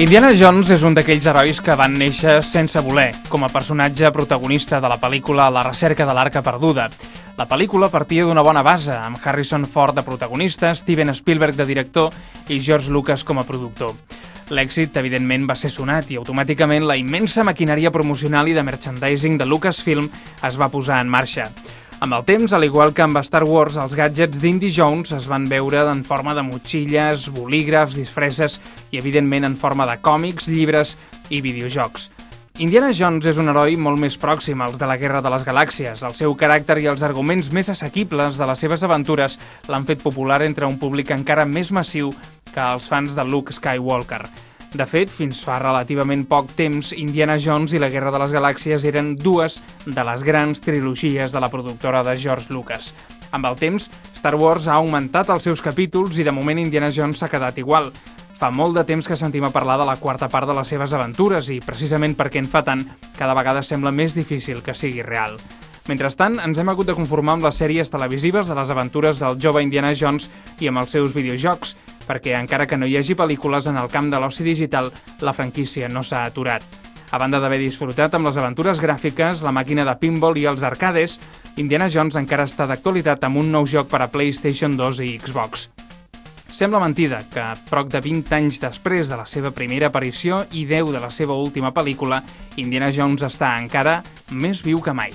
Indiana Jones és un d'aquells herois que van néixer sense voler, com a personatge protagonista de la pel·lícula La recerca de l'Arca perduda. La pel·lícula partia d'una bona base, amb Harrison Ford de protagonista, Steven Spielberg de director i George Lucas com a productor. L'èxit, evidentment, va ser sonat i automàticament la immensa maquinària promocional i de merchandising de Lucasfilm es va posar en marxa. Amb el temps, al igual que amb Star Wars, els gadgets d'Indy Jones es van veure en forma de motxilles, bolígrafs, disfresses i, evidentment, en forma de còmics, llibres i videojocs. Indiana Jones és un heroi molt més pròxim als de la Guerra de les Galàxies. El seu caràcter i els arguments més assequibles de les seves aventures l'han fet popular entre un públic encara més massiu que els fans de Luke Skywalker. De fet, fins fa relativament poc temps, Indiana Jones i la Guerra de les Galàxies eren dues de les grans trilogies de la productora de George Lucas. Amb el temps, Star Wars ha augmentat els seus capítols i de moment Indiana Jones s'ha quedat igual. Fa molt de temps que sentim a parlar de la quarta part de les seves aventures i, precisament perquè en fa tant, cada vegada sembla més difícil que sigui real. Mentrestant, ens hem hagut de conformar amb les sèries televisives de les aventures del jove Indiana Jones i amb els seus videojocs, perquè encara que no hi hagi pel·lícules en el camp de l'oci digital, la franquícia no s'ha aturat. A banda d'haver disfrutat amb les aventures gràfiques, la màquina de pinball i els arcades, Indiana Jones encara està d'actualitat amb un nou joc per a PlayStation 2 i Xbox. Sembla mentida que, prop de 20 anys després de la seva primera aparició i 10 de la seva última pel·lícula, Indiana Jones està encara més viu que mai.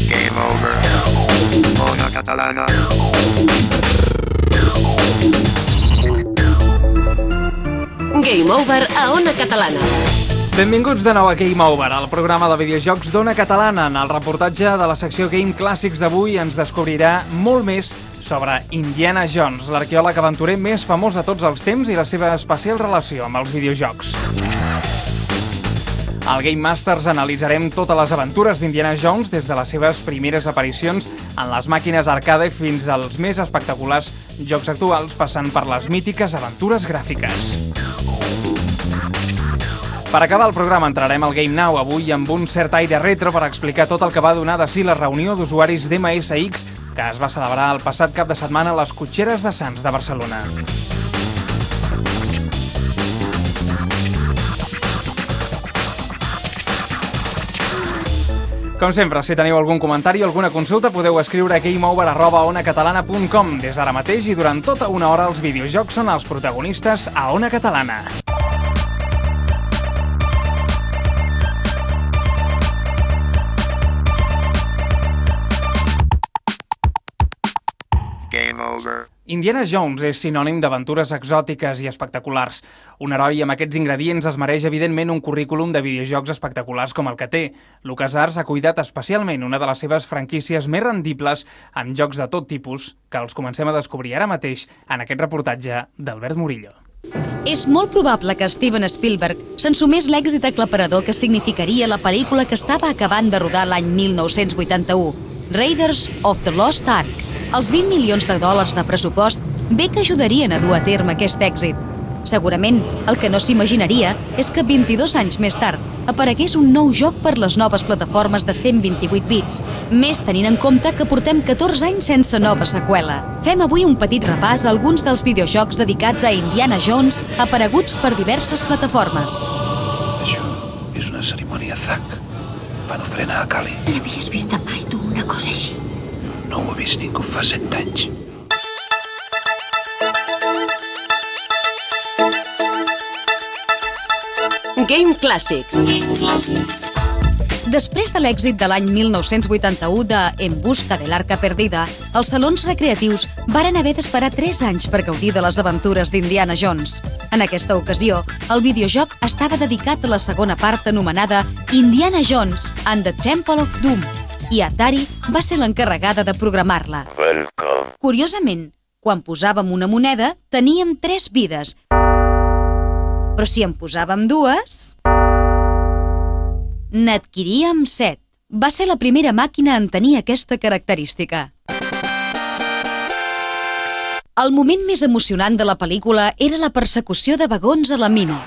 Game over. Ona Catalana. Game over a Ona Catalana. Benvinguts de nou a Game Over, el programa de videojocs d'Ona Catalana. En el reportatge de la secció Game Clàssics d'avui ens descobrirà molt més sobre Indiana Jones, l'arqueòleg aventurer més famós de tots els temps i la seva especial relació amb els videojocs. Al Game Masters analitzarem totes les aventures d'Indiana Jones des de les seves primeres aparicions en les màquines arcade fins als més espectaculars jocs actuals, passant per les mítiques aventures gràfiques. Per acabar el programa entrarem al Game Now, avui amb un cert aire retro per explicar tot el que va donar de si la reunió d'usuaris d'MSX que es va celebrar el passat cap de setmana a les Cotxeres de Sants de Barcelona. Com sempre, si teniu algun comentari o alguna consulta, podeu escriure a gameover@onacatalana.com. Des d'ara mateix i durant tota una hora els videojocs són els protagonistes a Ona Catalana. Game over. Indiana Jones és sinònim d'aventures exòtiques i espectaculars. Un heroi amb aquests ingredients es mereix, evidentment, un currículum de videojocs espectaculars com el que té. LucasArts ha cuidat especialment una de les seves franquícies més rendibles amb jocs de tot tipus, que els comencem a descobrir ara mateix en aquest reportatge d'Albert Murillo. És molt probable que Steven Spielberg s'ensumés l'èxit aclaparador que significaria la pel·lícula que estava acabant de rodar l'any 1981, Raiders of the Lost Ark. Els 20 milions de dòlars de pressupost bé que ajudarien a dur a terme aquest èxit. Segurament, el que no s'imaginaria és que 22 anys més tard aparegués un nou joc per les noves plataformes de 128 bits, més tenint en compte que portem 14 anys sense nova seqüela. Fem avui un petit repàs a alguns dels videojocs dedicats a Indiana Jones apareguts per diverses plataformes. Això és una cerimònia Zack. Fan ofrena a Kali. N'havies vist mai tu una cosa així? No ho ha vist ningú fa 100 anys. Game Clàssics. Després de l'èxit de l'any 1981 de En busca de l'Arca perdida, els salons recreatius varen haver d'esperar 3 anys per gaudir de les aventures d'Indiana Jones. En aquesta ocasió, el videojoc estava dedicat a la segona part anomenada Indiana Jones and the Temple of Doom, i Atari va ser l'encarregada de programar-la. Curiosament, quan posàvem una moneda, teníem 3 vides. Però si en posàvem 2, n'adquiríem 7. Va ser la primera màquina en tenir aquesta característica. El moment més emocionant de la pel·lícula era la persecució de vagons a la mina.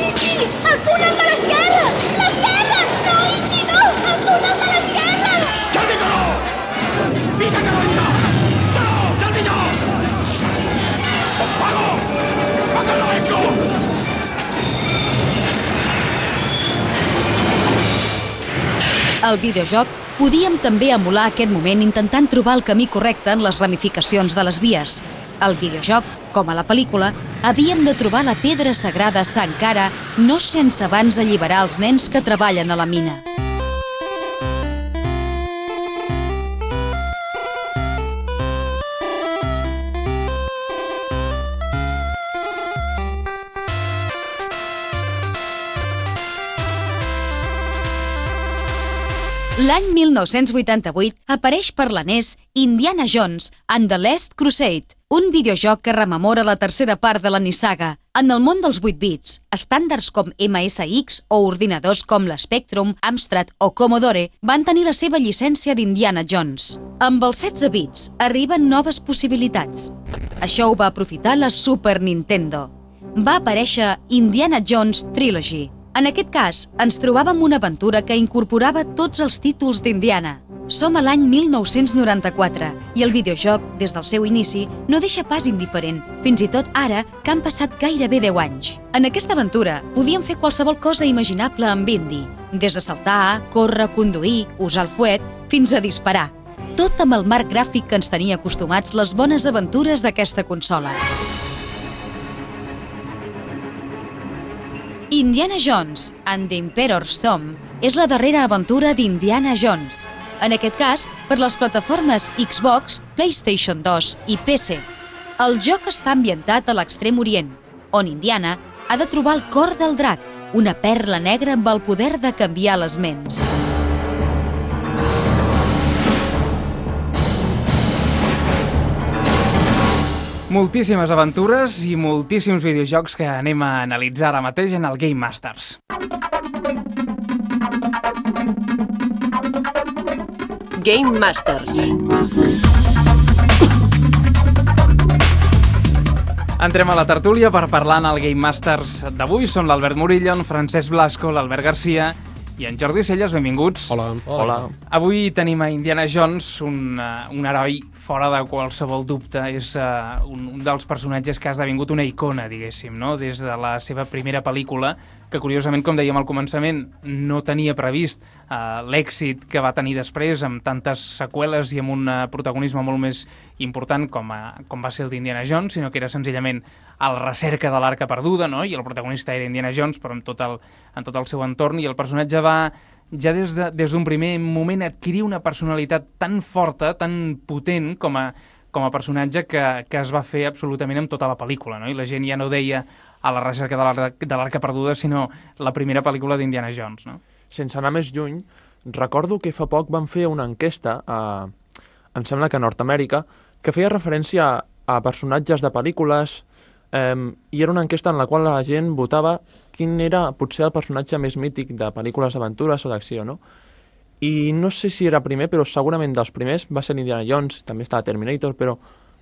El túnel de l'esquerra! L'esquerra! No, Indy, no! El túnel de l'esquerra! Al videojoc podíem també emular aquest moment intentant trobar el camí correcte en les ramificacions de les vies. Al videojoc, com a la pel·lícula, havíem de trobar la pedra sagrada Sankara no sense abans alliberar els nens que treballen a la mina. L'any 1988 apareix per la NES Indiana Jones and the Last Crusade, un videojoc que rememora la tercera part de la nissaga. En el món dels 8 bits, estàndards com MSX o ordinadors com l'Spectrum, Amstrad o Commodore van tenir la seva llicència d'Indiana Jones. Amb els 16 bits arriben noves possibilitats. Això ho va aprofitar la Super Nintendo. Va aparèixer Indiana Jones Trilogy. En aquest cas, ens trobàvem una aventura que incorporava tots els títols d'Indiana. Som a l'any 1994 i el videojoc, des del seu inici, no deixa pas indiferent, fins i tot ara que han passat gairebé 10 anys. En aquesta aventura podíem fer qualsevol cosa imaginable amb Indy, des de saltar, córrer, conduir, usar el fuet, fins a disparar. Tot amb el marc gràfic que ens tenia acostumats les bones aventures d'aquesta consola. Indiana Jones and the Emperor's Tomb és la darrera aventura d'Indiana Jones, en aquest cas per les plataformes Xbox, PlayStation 2 i PC. El joc està ambientat a l'Extrem Orient, on Indiana ha de trobar el cor del drac, una perla negra amb el poder de canviar les ments. Moltíssimes aventures i moltíssims videojocs que anem a analitzar ara mateix en el Game Masters. Game Masters. Entrem a la tertúlia per parlar en el Game Masters d'avui. Són l'Albert Murillo, en Francesc Blasco, l'Albert Garcia i en Jordi Celles. Benvinguts. Hola. Avui tenim a Indiana Jones, un heroi fora de qualsevol dubte. És un dels personatges que ha esdevingut una icona, diguéssim, no? Des de la seva primera pel·lícula, que curiosament, com dèiem al començament, no tenia previst l'èxit que va tenir després, amb tantes seqüeles i amb un protagonisme molt més important com va ser el d'Indiana Jones, sinó que era senzillament a la recerca de l'Arca Perduda, no? I el protagonista era Indiana Jones, però en tot el seu entorn, i el personatge va ja des d'un primer moment adquirir una personalitat tan forta, tan potent com a personatge que es va fer absolutament amb tota la pel·lícula, no? I la gent ja no deia a la recerca de l'Arca Perduda, sinó la primera pel·lícula d'Indiana Jones, no? Sense anar més lluny, recordo que fa poc van fer una enquesta, em sembla que a Nord-Amèrica, que feia referència a personatges de pel·lícules, i era una enquesta en la qual la gent votava quin era potser el personatge més mític de pel·lícules d'aventures o d'acció, no? I no sé si era primer, però segurament dels primers va ser Indiana Jones, també estava Terminator, però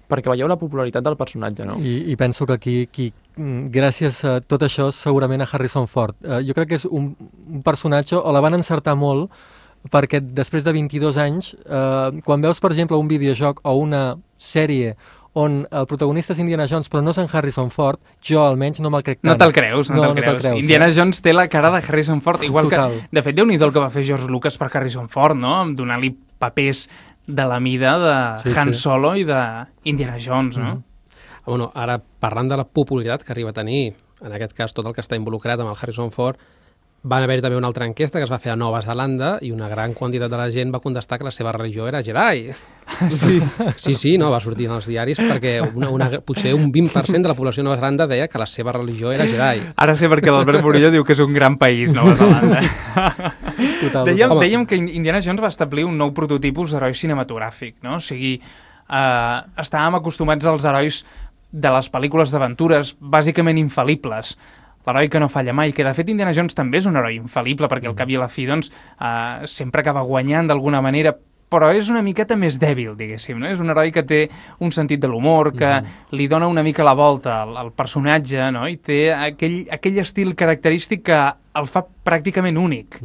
perquè veieu la popularitat del personatge, no? I penso que aquí gràcies a tot això, segurament a Harrison Ford. Jo crec que és un personatge, o la van encertar molt, perquè després de 22 anys, quan veus, per exemple, un videojoc o una sèrie on el protagonista és Indiana Jones, però no és en Harrison Ford, jo almenys no me'l crec tant. No te'l creus, no te'l creus. Indiana Jones té la cara de Harrison Ford, igual total. Que, de fet, Déu-n'hi-do el que va fer George Lucas per Harrison Ford, no? Donar-li papers de la mida de Han Solo i d'Indiana Jones, no? Bueno, ara, parlant de la popularitat que arriba a tenir, en aquest cas tot el que està involucrat amb el Harrison Ford, van haver-hi també una altra enquesta que es va fer a Nova Zelanda i una gran quantitat de la gent va contestar que la seva religió era Jedi. Sí, no, va sortir en els diaris perquè potser un 20% de la població de Nova Zelanda deia que la seva religió era Jedi. Ara sé perquè l'Albert Murillo diu que és un gran país, Nova Zelanda. Dèiem que Indiana Jones va establir un nou prototipus d'heroi cinematogràfic, no? O sigui, estàvem acostumats als herois de les pel·lícules d'aventures bàsicament infal·libles. L'heroi que no falla mai, que de fet Indiana Jones també és un heroi infal·lible, perquè al cap i a la fi doncs, sempre acaba guanyant d'alguna manera, però és una miqueta més dèbil, diguéssim, no? És un heroi que té un sentit de l'humor, que li dona una mica la volta al personatge, no? I té aquell estil característic que el fa pràcticament únic.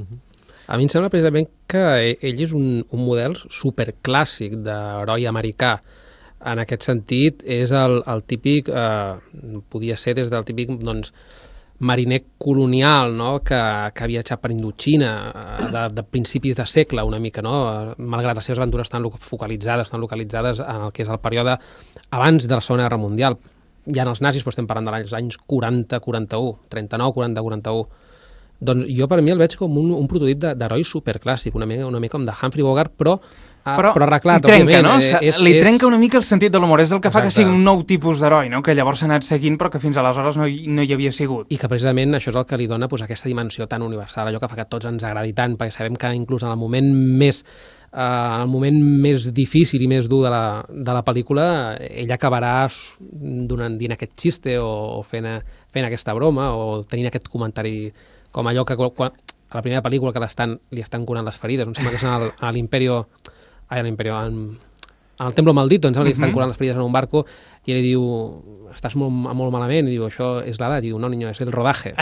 A mi em sembla precisament que ell és un model superclàssic d'heroi americà. En aquest sentit, és el típic, podia ser des del típic, doncs, mariner colonial, no?, que ha viatjat per Indochina de principis de segle, una mica, no?, malgrat les seves aventures estan localitzades en el que és el període abans de la Segona Guerra Mundial. Ja en els nazis, però estem parlant dels anys 40-41, 39-40-41. Doncs jo per mi el veig com un prototip d'heroi superclàssic, una mica com de Humphrey Bogart, però arreglat, li trenca, òbviament. No? Li trenca una mica el sentit de l'humor, és el que fa que Exacte. sigui un nou tipus d'heroi, no? Que llavors s'ha anat seguint però que fins aleshores no hi havia sigut. I que precisament això és el que li dona doncs, aquesta dimensió tan universal, allò que fa que tots ens agradi tant, perquè sabem que inclús en el moment més difícil i més dur de la pel·lícula, ell acabarà dient aquest xiste o fent aquesta broma o tenint aquest comentari com allò que a la primera pel·lícula que li estan curant les ferides, em sembla que és a l'Imperio, en el Templo Maldito, em sembla que li estan curant les ferides en un barco i ell diu, estàs molt malament, i diu, això és l'edat, i diu, no, niño, és el rodaje.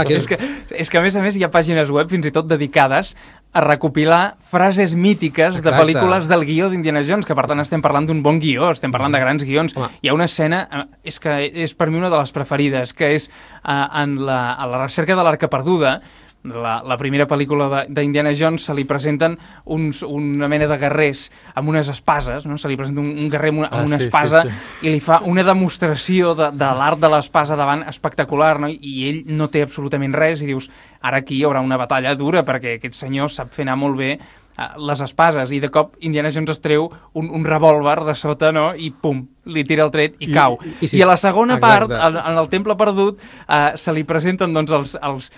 És que a més hi ha pàgines web fins i tot dedicades a recopilar frases mítiques de pel·lícules del guió d'Indiana Jones, que per tant estem parlant d'un bon guió, estem parlant de grans guions. Hi ha una escena, és que és per mi una de les preferides, que és a la recerca de l'Arca Perduda. La primera pel·lícula d'Indiana Jones se li presenten una mena de guerrers amb unes espases, no? Se li presenta un guerrer amb una espasa i li fa una demostració de l'art de l'espasa davant espectacular, no? I ell no té absolutament res i dius, ara aquí hi haurà una batalla dura perquè aquest senyor sap fer anar molt bé les espases, i de cop Indiana Jones es treu un revòlver de sota, no? I pum, li tira el tret i cau. I a la segona part, en el Temple Perdut, se li presenten doncs els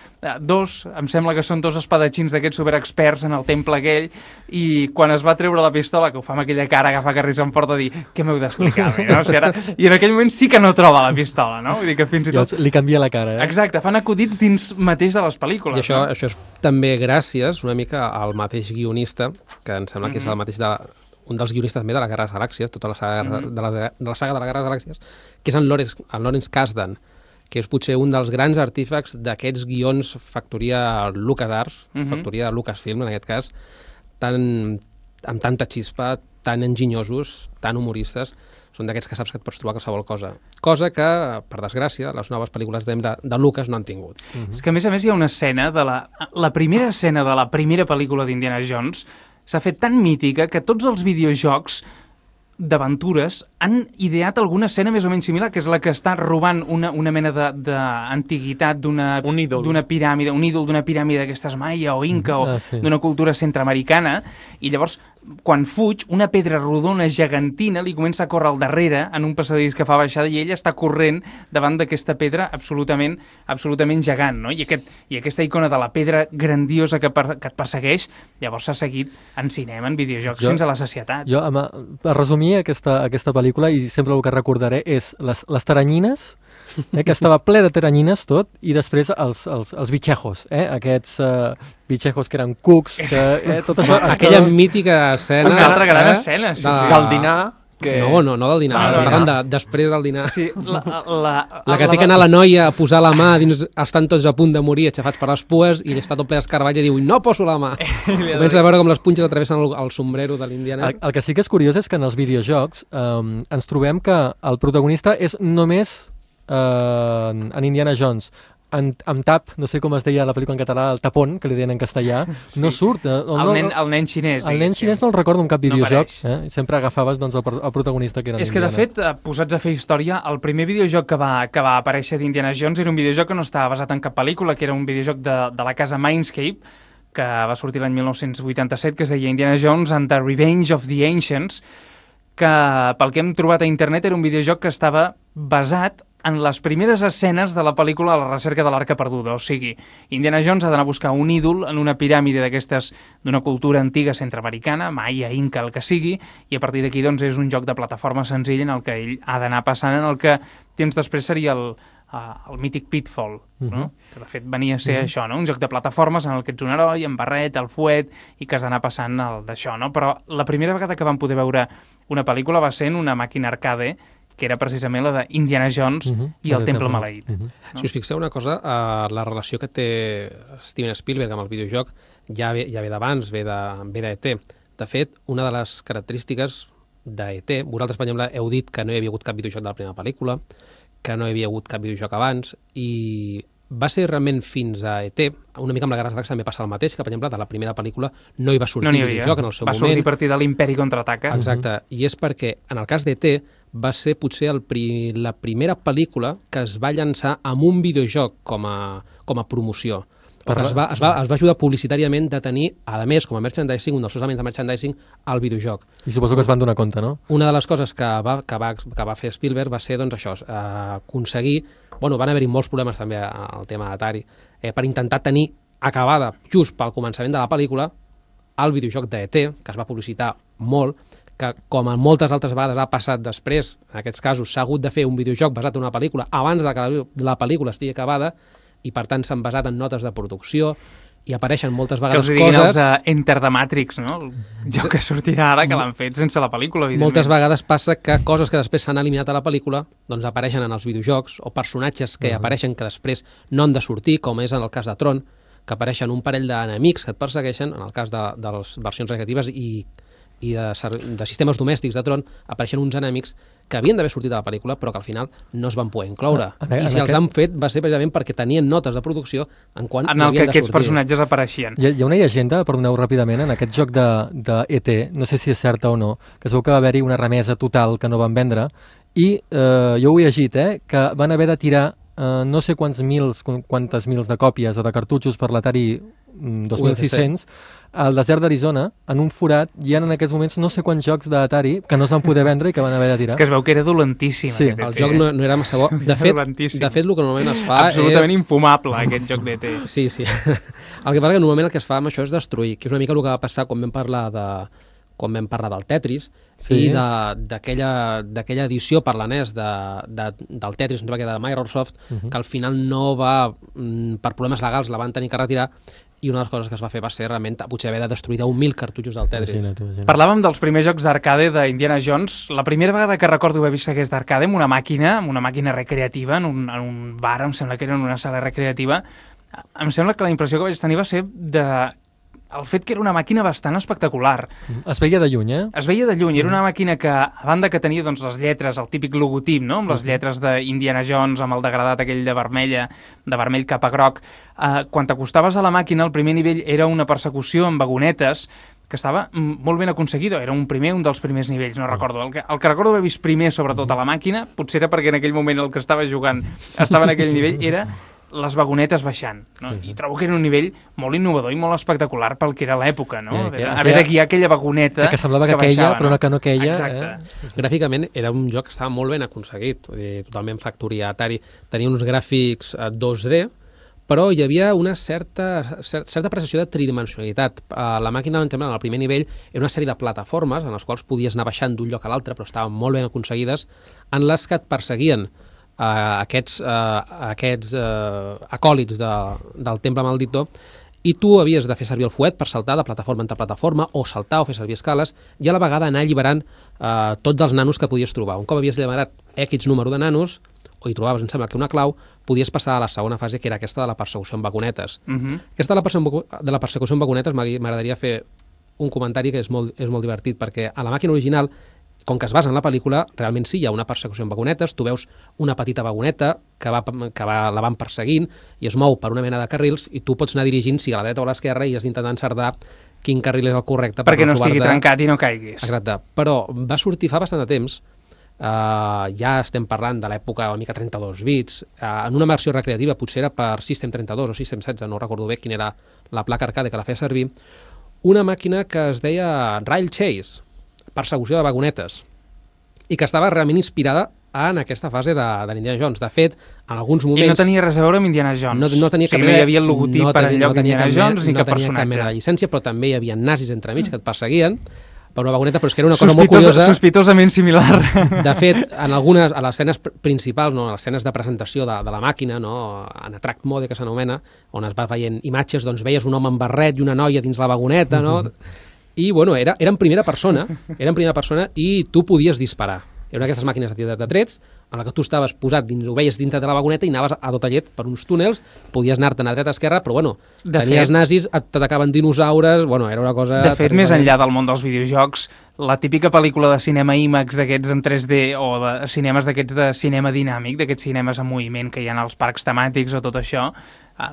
dos, em sembla que són dos espadatxins d'aquests superexperts en el temple aquell, i quan es va treure la pistola, que ho fa amb aquella cara que fa que Harrison Ford a dir, què m'heu d'explicar? No? I en aquell moment sí que no troba la pistola, no? Vull dir que fins i tot... Li canvia la cara, Exacte, fan acudits dins mateix de les pel·lícules. I això és també gràcies una mica al mateix guionista, que em sembla que és el mateix un dels guionistes també de la Guerra de les Galàxies, tota la saga de la saga de la Guerra de les Galàxies, que és en Lawrence Kasdan, que és potser un dels grans artífecs d'aquests guions factoria LucasArts, factoria de Lucasfilm en aquest cas, amb tanta xispa, tan enginyosos, tan humoristes, són d'aquests que saps que et pots trobar qualsevol cosa. Cosa que, per desgràcia, les noves pel·lícules de Lucas no han tingut. És que, a més hi ha una escena, la primera escena de la primera pel·lícula d'Indiana Jones s'ha fet tan mítica que tots els videojocs d'aventures han ideat alguna escena més o menys similar, que és la que està robant una mena d'antiguitat d'una piràmide, un ídol d'una piràmide d'aquestes maia o inca o d'una cultura centreamericana, i llavors quan fuig, una pedra rodona gegantina li comença a córrer al darrere en un passadís que fa baixada i ell està corrent davant d'aquesta pedra absolutament gegant, no? I aquesta icona de la pedra grandiosa que et persegueix, llavors s'ha seguit en cinema, en videojocs, fins a la sacietat. Jo, per resumir aquesta pel·lícula, i sempre el que recordaré és les taranyines, que estava ple de taranyines tot, i després els bitxejos, aquests bitxejos que eren cucs, tot això... Aquella mítica escena... Una altra gran escena, del dinar... No del dinar, parlant després del dinar. Sí, la que té que anar la noia a posar la mà dins, estan tots a punt de morir, aixafats per les pues, i està tot ple d'escarbatge i diu, no poso la mà. Comença a veure com les punxes atravessen el sombrero de l'Indiana. El que sí que és curiós és que en els videojocs ens trobem que el protagonista és només en Indiana Jones. Amb tap, no sé com es deia la pel·lícula en català, el tapón, que li deien en castellà, no surt. El nen xinès. El nen xinès no el recordo en cap videojoc. Sempre agafaves el protagonista que era És que, de fet, posats a fer història, el primer videojoc que va aparèixer d'Indiana Jones era un videojoc que no estava basat en cap pel·lícula, que era un videojoc de la casa Mindscape, que va sortir l'any 1987, que es deia Indiana Jones and the Revenge of the Ancients, que, pel que hem trobat a internet, era un videojoc que estava basat en les primeres escenes de la pel·lícula La recerca de l'Arca Perduda. O sigui, Indiana Jones ha d'anar a buscar un ídol en una piràmide d'aquestes d'una cultura antiga centreamericana, maia, inca, el que sigui, i a partir d'aquí doncs, és un joc de plataforma senzill en el que ell ha d'anar passant, en el que temps després seria el mític Pitfall, no? Que de fet venia a ser això, no? Un joc de plataformes en el que ets un heroi, amb barret, el fuet, i que has d'anar passant d'això, no? Però la primera vegada que vam poder veure una pel·lícula va ser en una màquina arcade que era precisament la d'Indiana Jones i el Temple Maleït. No? Si us fixeu una cosa, la relació que té Steven Spielberg amb el videojoc ja ve d'abans, ve d'E.T. De fet, una de les característiques d'E.T., vosaltres, per exemple, heu dit que no hi havia hagut cap videojoc de la primera pel·lícula, que no hi havia hagut cap videojoc abans, i va ser realment fins a E.T., una mica amb la Guerra dels Galaxis també passa el mateix, que, per exemple, de la primera pel·lícula no hi va sortir videojoc en el seu moment. Va sortir a partir de l'Imperi Contraataca. Exacte, i és perquè, en el cas d'E.T., va ser potser la primera pel·lícula que es va llançar amb un videojoc com a promoció. Es va ajudar publicitàriament de tenir, a més, com a merchandising, un dels seus elements de merchandising, el videojoc. I suposo que es van donar compte, no? Una de les coses que va fer Spielberg va ser, doncs, això, aconseguir... Bueno, van haver-hi molts problemes també al tema d'Atari, per intentar tenir acabada, just pel començament de la pel·lícula, el videojoc d'E.T., que es va publicitar molt, que, com en moltes altres vegades ha passat després, en aquests casos s'ha hagut de fer un videojoc basat en una pel·lícula abans de que la pel·lícula estigui acabada, i per tant s'han basat en notes de producció, i apareixen moltes vegades coses... Que els diguin els d'Enter the Matrix, no? El joc que sortirà ara, que l'han fet sense la pel·lícula, evidentment. Moltes vegades passa que coses que després s'han eliminat a la pel·lícula doncs apareixen en els videojocs, o personatges que apareixen que després no han de sortir, com és en el cas de Tron, que apareixen un parell d'enemics que et persegueixen, en el cas de les versions recreatives i de sistemes domèstics de Tron, apareixen uns enemics que havien d'haver sortit a la pel·lícula però que al final no es van poder incloure. I si els han fet va ser precisament perquè tenien notes de producció en quan en el que aquests personatges apareixien. Hi ha una llegenda, perdoneu ràpidament, en aquest joc d'E.T., no sé si és certa o no, que es veu que va haver-hi una remesa total que no van vendre i jo ho he llegit, que van haver de tirar no sé quantes mils de còpies o de cartutxos per l'Atari 2600 al desert d'Arizona, en un forat, hi ha en aquests moments no sé quants jocs d'Atari que no es van poder vendre i que van haver de tirar. És que es veu que era dolentíssim. Sí, el joc no era massa bo. De fet, el que normalment es fa absolutament infumable, aquest joc d'E.T. Sí. El que passa que normalment el que es fa amb això és destruir, que és una mica el que va passar quan vam parlar del Tetris i d'aquella edició per la NES del Tetris, em sembla que de Microsoft, que al final no va, per problemes legals la van tenir que retirar, i una de les coses que es va fer va ser realment potser haver de destruir 10.000 cartutxos del Tetris. Parlàvem dels primers jocs d'arcade d'Indiana Jones. La primera vegada que recordo haver vist aquest d'arcade amb una màquina recreativa, en un bar, em sembla que era en una sala recreativa, em sembla que la impressió que vaig tenir va ser el fet que era una màquina bastant espectacular. Es veia de lluny, Es veia de lluny. Era una màquina que, a banda que tenia doncs, les lletres, el típic logotip, no? Amb les lletres d'Indiana Jones, amb el degradat aquell de vermell cap a groc, quan t'acostaves a la màquina, el primer nivell era una persecució amb vagonetes que estava molt ben aconseguida. Era un dels primers nivells, no recordo. El que recordo haver vist primer, sobretot a la màquina, potser era perquè en aquell moment el que estava jugant estava en aquell nivell, era les vagonetes baixant, no? I trobo que era un nivell molt innovador i molt espectacular pel que era l'època, no? Haver de guiar aquella vagoneta que semblava que queia, però que no queia. Exacte. Gràficament era un joc que estava molt ben aconseguit, totalment factoria Atari. Tenia uns gràfics 2D, però hi havia una certa apreciació de tridimensionalitat. La màquina, en el primer nivell, era una sèrie de plataformes en les quals podies anar baixant d'un lloc a l'altre, però estaven molt ben aconseguides, en les que et perseguien aquests acòlits del Temple Maldito, i tu havies de fer servir el fuet per saltar de plataforma entre plataforma, o saltar o fer servir escales, i a la vegada anar alliberant tots els nanos que podies trobar. Un cop havies alliberat X número de nanos, o hi trobaves, em sembla que una clau, podies passar a la segona fase, que era aquesta de la persecució amb vagonetes. Aquesta de la persecució amb vagonetes m'agradaria fer un comentari que és molt divertit, perquè a la màquina original, com que es basa en la pel·lícula, realment sí, hi ha una persecució amb vagonetes, tu veus una petita vagoneta que la van perseguint i es mou per una mena de carrils i tu pots anar dirigint si a la dreta o a l'esquerra i has d'intentar encertar quin carril és el correcte perquè no estigui trencat i no caiguis. Exacte, però va sortir fa bastant de temps, ja estem parlant de l'època una mica 32 bits, en una versió recreativa, potser era per System 32 o System 16, no recordo bé quina era la placa arcade que la feia servir, una màquina que es deia Rail Chase, persecució de vagonetes, i que estava realment inspirada en aquesta fase d'Indiana Jones. De fet, en alguns moments... I no tenia res a veure amb Indiana Jones. No tenia no hi havia el logotip per enlloc d'Indiana Jones ni cap personatge. No tenia cap mena de llicència, però també hi havia nazis entremig que et perseguien per una vagoneta, però és que era una cosa molt curiosa. Sospitosament similar. De fet, a les escenes principals, a les escenes de presentació de la màquina, en Attract Mode, que s'anomena, on es va veient imatges, doncs veies un home amb barret i una noia dins la vagoneta, no? I, bueno, era en primera persona i tu podies disparar. Era una d'aquestes màquines de trets en la que tu estaves posat, ho veies dintre de la vagoneta i anaves a tot llet per uns túnels, podies anar-te'n a dreta, a esquerra, però bueno, tenies nazis, t'atacaven dinosaures, bueno, era una cosa... De fet, més enllà del món dels videojocs, la típica pel·lícula de cinema IMAX d'aquests en 3D o de cinemes d'aquests de cinema dinàmic, d'aquests cinemes en moviment que hi ha als parcs temàtics o tot això,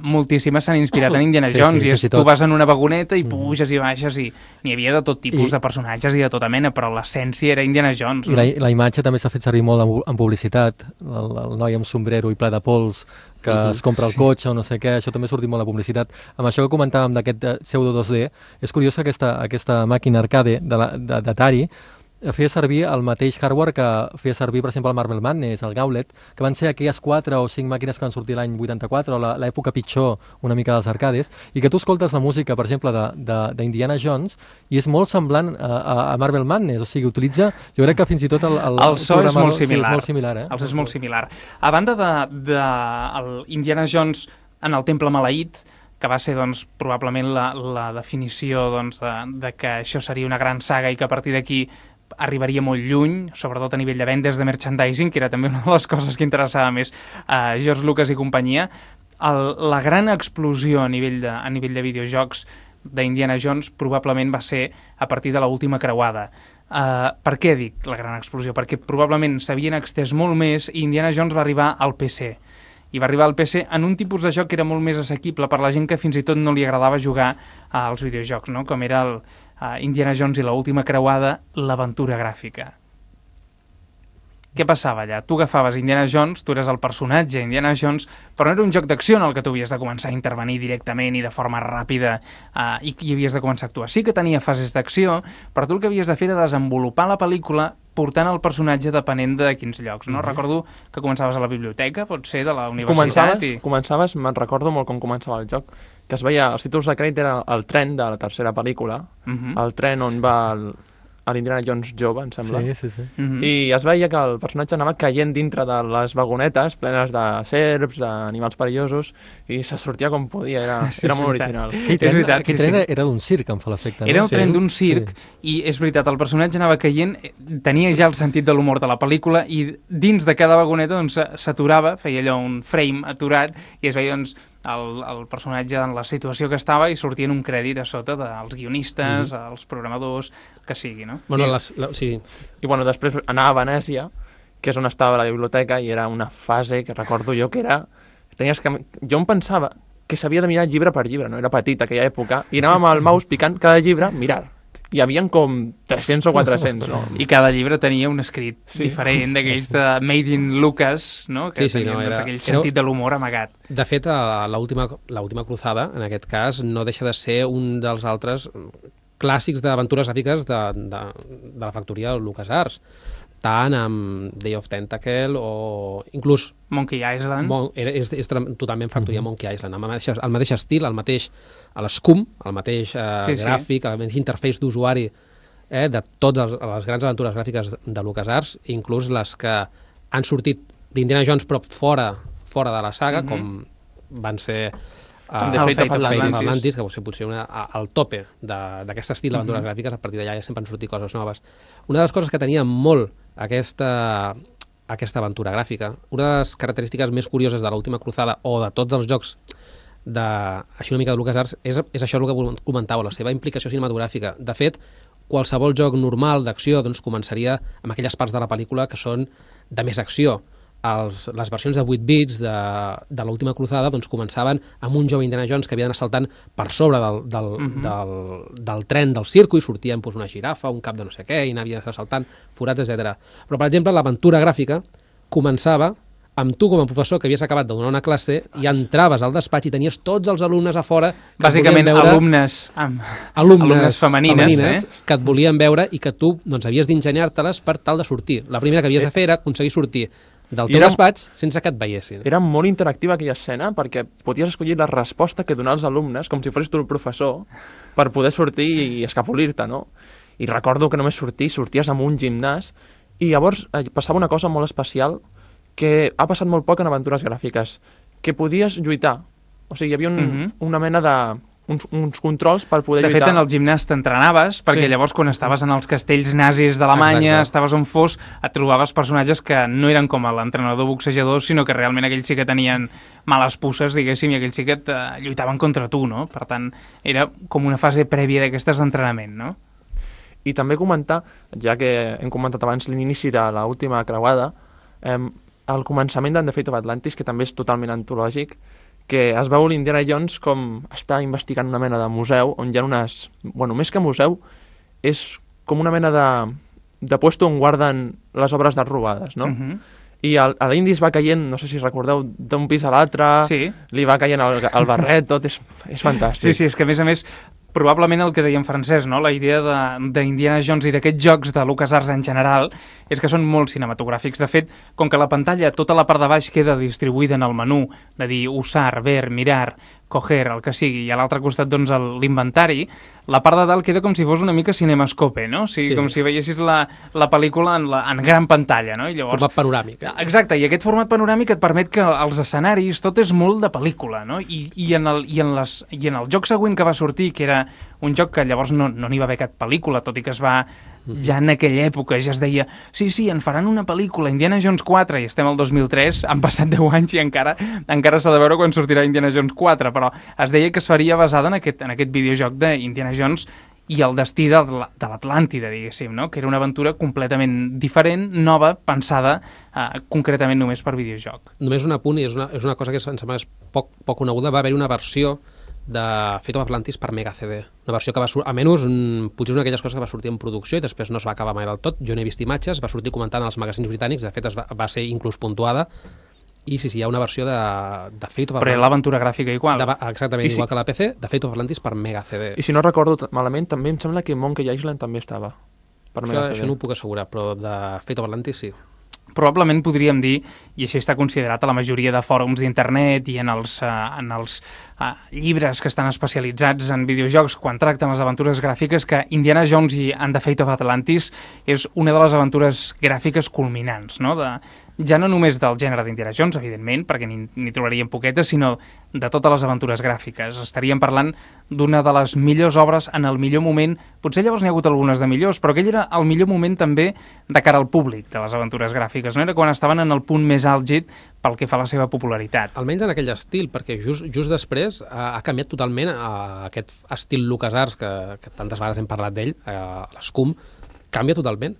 moltíssimes s'han inspirat en Indiana Jones, i tu vas en una vagoneta i puges i baixes i n'hi havia de tot tipus de personatges i de tota mena, però l'essència era Indiana Jones. I la imatge també s'ha fet servir molt en publicitat, el noi amb sombrero i ple de pols que es compra el cotxe o no sé què, això també ha sortit molt a publicitat. Amb això que comentàvem d'aquest pseudo 2D, és curiós que aquesta màquina arcade d'Atari feia servir el mateix hardware que feia servir, per exemple, el Marble Madness, el Gauntlet, que van ser aquelles 4 o 5 màquines que van sortir l'any 84, o l'època pitjor una mica dels arcades, i que tu escoltes la música, per exemple, d'Indiana Jones, i és molt semblant a Marble Madness, o sigui, utilitza, jo crec que fins i tot el so és molt similar. Sí, és molt similar, El so és molt similar. A banda de Indiana Jones en el Temple Maleït, que va ser doncs, probablement la definició doncs, de que això seria una gran saga i que a partir d'aquí arribaria molt lluny, sobretot a nivell de vendes de merchandising, que era també una de les coses que interessava més a George Lucas i companyia. La gran explosió a nivell de videojocs d'Indiana Jones probablement va ser a partir de l'última creuada. Per què dic la gran explosió? Perquè probablement s'havien extès molt més i Indiana Jones va arribar al PC. I va arribar al PC en un tipus de joc que era molt més assequible per la gent que fins i tot no li agradava jugar als videojocs, no? Com era el Indiana Jones i l'última creuada, l'aventura gràfica. Què passava allà? Tu agafaves Indiana Jones, tu eres el personatge Indiana Jones, però no era un joc d'acció en el que tu havies de començar a intervenir directament i de forma ràpida i havies de començar a actuar. Sí que tenia fases d'acció, però tu el que havies de fer era desenvolupar la pel·lícula portant el personatge depenent de quins llocs, no? Recordo que començaves a la biblioteca, pot ser de la universitat... Començaves, me'n recordo molt com començava el joc, que es veia, els títols de crèdit era el tren de la tercera pel·lícula, el tren on va l'Indiana Jones jove, em sembla. Sí. I es veia que el personatge anava caient dintre de les vagonetes plenes de serps, d'animals perillosos, i se sortia com podia, era molt original. Aquell tren era d'un circ, em fa l'efecte. Era un tren d'un circ, i és veritat, el personatge anava caient, tenia ja el sentit de l'humor de la pel·lícula, i dins de cada vagoneta s'aturava, feia allò un frame aturat, i es veia el personatge en la situació que estava i sortien un crèdit a sota dels guionistes, els programadors, que sigui, no? Bueno, sí. I bueno, després anar a Venècia, que és on estava la biblioteca, i era una fase que recordo jo que era... Jo em pensava que s'havia de mirar llibre per llibre, no? Era petit aquella època, i anàvem al mouse picant cada llibre, mirar. Hi havia com 300 o 400, no? I cada llibre tenia un escrit diferent, d'aquells de Made in Lucas, no? Que tenien aquell sentit de l'humor amagat. De fet, l'última cruzada, en aquest cas, no deixa de ser un dels altres clàssics d'aventures gràfiques de la factoria LucasArts, tant amb Day of Tentacle o inclús Monkey Island. És totalment factoria Monkey Island, amb el mateix estil, l'escum, el mateix gràfic, el mateix interface d'usuari de totes les grans aventures gràfiques de LucasArts, inclús les que han sortit d'Indiana Jones però fora de la saga, com van ser The Fate of Atlantis, que potser al tope d'aquest estil d'aventures gràfiques. A partir d'allà ja sempre han sortit coses noves. Una de les coses que tenia molt aquesta aventura gràfica, una de les característiques més curioses de l'última cruzada o de tots els jocs així una mica de LucasArts és això el que comentàveu, la seva implicació cinematogràfica. De fet, qualsevol joc normal d'acció començaria amb aquelles parts de la pel·lícula que són de més acció. Les versions de 8 bits de l'última cruzada començaven amb un jove Indiana Jones que havia d'anar saltant per sobre del tren del circo i sortia una girafa, un cap de no sé què, i anava saltant forats, etc. Però, per exemple, l'aventura gràfica començava amb tu com a professor que havies acabat de donar una classe i entraves al despatx i tenies tots els alumnes a fora que bàsicament alumnes femenines que et volien veure i que tu havies d'ingeniar-te-les per tal de sortir. La primera que havies de fer era aconseguir sortir del teu despatx sense que et veiessin. Era molt interactiva aquella escena perquè podies escollir la resposta que donar als alumnes com si fossis tu el professor per poder sortir i escapolir-te, no? I recordo que només sorties amb un gimnàs i llavors passava una cosa molt especial que ha passat molt poc en aventures gràfiques, que podies lluitar. O sigui, hi havia una mena de... uns controls per poder lluitar. De fet, lluitar. en el gimnàs t'entrenaves, perquè llavors quan estaves en els castells nazis d'Alemanya, estaves on fos, et trobaves personatges que no eren com l'entrenador boxejador, sinó que realment aquells sí que tenien males pusses, diguéssim, i aquells sí que lluitaven contra tu, no? Per tant, era com una fase prèvia d'aquestes d'entrenament, no? I també comentar, ja que hem comentat abans l'inici de l'última creuada, el començament d'The Fate of Atlantis, que també és totalment antològic, que es veu l'Indiana Jones com està investigant una mena de museu, on hi ha unes... Bueno, més que museu, és com una mena de puesto on guarden les obres d'art robades, no? I l'Indy es va caient, no sé si recordeu, d'un pis a l'altre, li va caient el barret, tot, és fantàstic. Sí, és que a més, probablement el que deia en Francesc, no? La idea d'Indiana Jones i d'aquests jocs de LucasArts en general és que són molt cinematogràfics. De fet, com que la pantalla, tota la part de baix queda distribuïda en el menú, de dir usar, ver, mirar, coger, el que sigui, i a l'altre costat doncs l'inventari, la part de dalt queda com si fos una mica cinemascope, no? O sigui, com si veiessis la pel·lícula en gran pantalla, no? I llavors... Format panoràmic. Exacte, i aquest format panoràmic et permet que els escenaris, tot és molt de pel·lícula, no? I en el joc següent que va sortir, que era un joc que llavors no n'hi va haver cap pel·lícula, tot i que es va... Ja en aquella època ja es deia sí, en faran una pel·lícula, Indiana Jones 4, i estem al 2003, han passat 10 anys i encara s'ha de veure quan sortirà Indiana Jones 4, però es deia que es faria basada en aquest videojoc d'Indiana Jones i el destí de l'Atlàntida, diguéssim, no? Que era una aventura completament diferent, nova, pensada concretament només per videojoc. Només un apunt, i és una cosa que em sembla poc coneguda, va haver-hi una versió de Fate of Atlantis per Mega CD. Una versió que va sortir, almenys potser és una d'aquelles coses que va sortir en producció i després no es va acabar mai del tot. Jo n'he vist imatges, va sortir comentant en els magazins britànics, de fet va ser inclús puntuada, i sí, hi ha una versió de Fate of Atlantis. Però l'aventura gràfica igual. Exactament, igual que la PC, de Fate of Atlantis per Mega CD. I si no recordo malament, també em sembla que Monkey Island també estava per Mega CD. Això no ho puc assegurar, però de Fate of Atlantis sí. Probablement podríem dir, i això està considerat a la majoria de fòrums d'internet i en els llibres que estan especialitzats en videojocs quan tracten les aventures gràfiques, que Indiana Jones i The Fate of Atlantis és una de les aventures gràfiques culminants, no? Ja no només del gènere d'Indiana Jones, evidentment, perquè n'hi trobaríem poquetes, sinó de totes les aventures gràfiques. Estaríem parlant d'una de les millors obres en el millor moment. Potser llavors n'hi ha hagut algunes de millors, però aquell era el millor moment també de cara al públic de les aventures gràfiques, no? Era quan estaven en el punt més àlgid pel que fa a la seva popularitat. Almenys en aquell estil, perquè just després ha canviat totalment aquest estil LucasArts, que tantes vegades hem parlat d'ell, l'Scum, canvia totalment.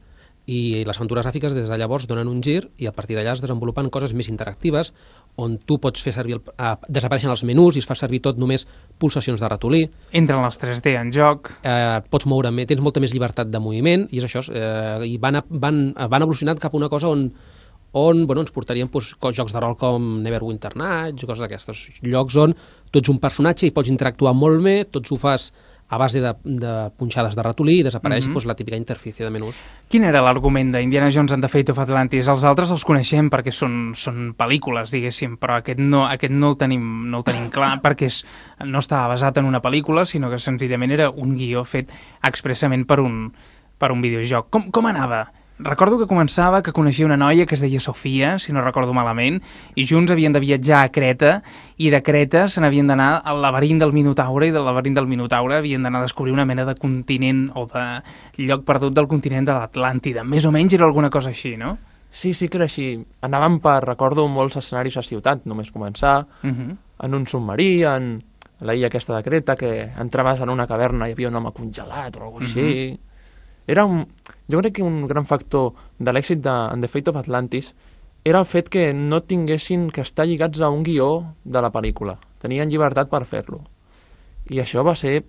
I les aventures gràfiques des de llavors donen un gir i a partir d'allà es desenvolupen coses més interactives on tu pots fer servir desapareixen els menús i es fa servir tot només pulsacions de ratolí. Entren els 3D en joc. Pots moure, tens molta més llibertat de moviment i és això. I van evolucionant cap a una cosa on ens portarien jocs de rol com Neverwinter Nights, coses d'aquestes. Llocs on tu ets un personatge i pots interactuar molt bé, tots ho fas a base de punxades de ratolí i desapareix la típica interfície de menús. Quin era l'argument d'Indiana Jones and the Fate of Atlantis? Els altres els coneixem perquè són pel·lícules, diguéssim, però aquest no el tenim clar perquè no estava basat en una pel·lícula, sinó que senzillament era un guió fet expressament per un videojoc. Com anava? Recordo que començava que coneixia una noia que es deia Sofia, si no recordo malament, i junts havien de viatjar a Creta, i de Creta se n'havien d'anar al laberint del Minotaure, i del laberint del Minotaure havien d'anar a descobrir una mena de continent o de lloc perdut del continent de l'Atlàntida. Més o menys era alguna cosa així, no? Sí que era així. Anàvem recordo, molts escenaris a ciutat, només començar, en un submarí, en l'illa aquesta de Creta, que entraves en una caverna i hi havia un home congelat o alguna cosa així. Jo crec que un gran factor de l'èxit de The Fate of Atlantis era el fet que no tinguessin que estar lligats a un guió de la pel·lícula. Tenien llibertat per fer-lo. I això va ser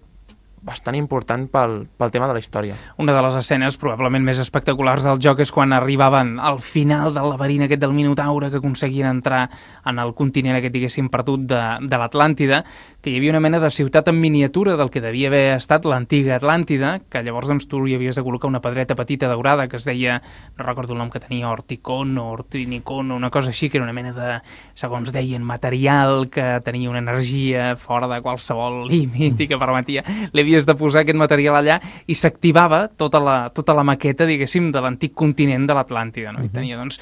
bastant important pel tema de la història. Una de les escenes probablement més espectaculars del joc és quan arribaven al final del laberint aquest del Minotaure, que aconseguien entrar en el continent aquest, diguéssim, perdut de l'Atlàntida, que hi havia una mena de ciutat en miniatura del que devia haver estat l'antiga Atlàntida, que llavors doncs, tu hi havies de col·locar una pedreta petita daurada que es deia, no recordo el nom que tenia, Orticon o Ortinicon o una cosa així, que era una mena de, segons deien, material que tenia una energia fora de qualsevol límit i que permetia... Havies de posar aquest material allà i s'activava tota la maqueta, diguéssim, de l'antic continent de l'Atlàntida, no? I tenia, doncs,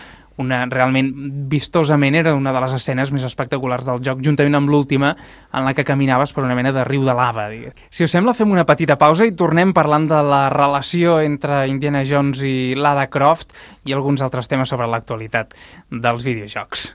realment vistosament era una de les escenes més espectaculars del joc, juntament amb l'última, en la que caminaves per una mena de riu de lava. Si us sembla, fem una petita pausa i tornem parlant de la relació entre Indiana Jones i Lara Croft i alguns altres temes sobre l'actualitat dels videojocs.